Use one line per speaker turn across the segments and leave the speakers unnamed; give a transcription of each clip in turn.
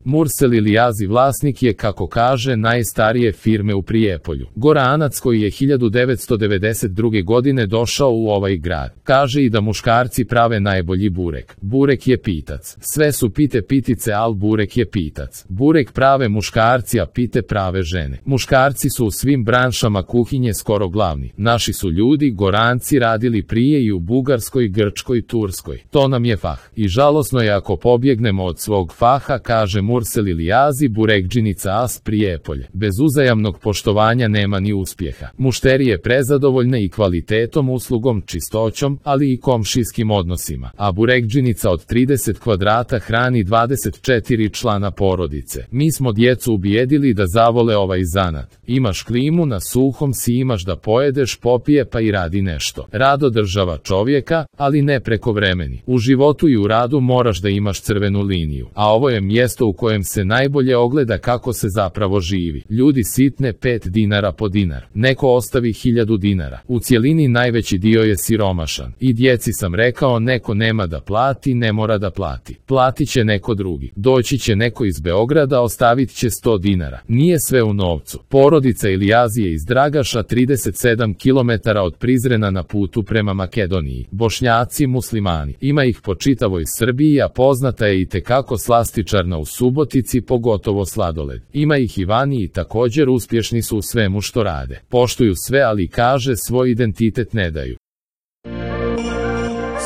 Mursel Ilijazi vlasnik je, kako kaže, najstarije firme u Prijepolju. Goranac koji je 1992. godine došao u ovaj grad. Kaže i da muškarci prave najbolji burek. Burek je pitac. Sve su pite pitice, al burek je pitac. Burek prave muškarci, a pite prave žene. Muškarci su u svim branšama kuhinje skoro glavni. Naši su ljudi, Goranci, radili prije i u Bugarskoj, Grčkoj, Turskoj. To nam je fah. I žalosno je ako pobjegnemo od svog faha, kaže Mursel Ilijazi, burekdžinica As, Prijepolje. Bez uzajamnog poštovanja nema ni uspjeha. Mušterije prezadovoljne i kvalitetom, uslugom, čistoćom, ali i komšijskim odnosima. A burekdžinica od 30 kvadrata hrani 24 člana porodice. Mi smo djecu ubijedili da zavole ovaj zanat. Imaš klimu, na suhom si, imaš da pojedeš, popije pa i radi nešto. Rad održava čovjeka, ali ne prekovremeni. U životu i u radu moraš da imaš crvenu liniju. A ovo je mjesto u kojem se najbolje ogleda kako se zapravo živi. Ljudi sitne 5 dinara po dinar. Neko ostavi 1000 dinara. U cjelini najveći dio je siromašan. I djeci sam rekao, neko nema da plati, ne mora da plati. Platit će neko drugi. Doći će neko iz Beograda, ostavit će 100 dinara. Nije sve u novcu. Porodica Ilijazi je iz Dragaša, 37 km od Prizrena na putu prema Makedoniji. Bošnjaci, muslimani. Ima ih po čitavoj Srbiji, a poznata je i tekako slastičarna u Subotici, pogotovo sladoled. Ima ih i vani i također uspješni su u svemu što rade. Poštuju sve, ali kaže svoj identitet ne daju.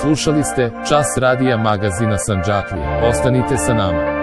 Slušali ste Čas radija magazina Sandžaklija. Ostanite sa nama.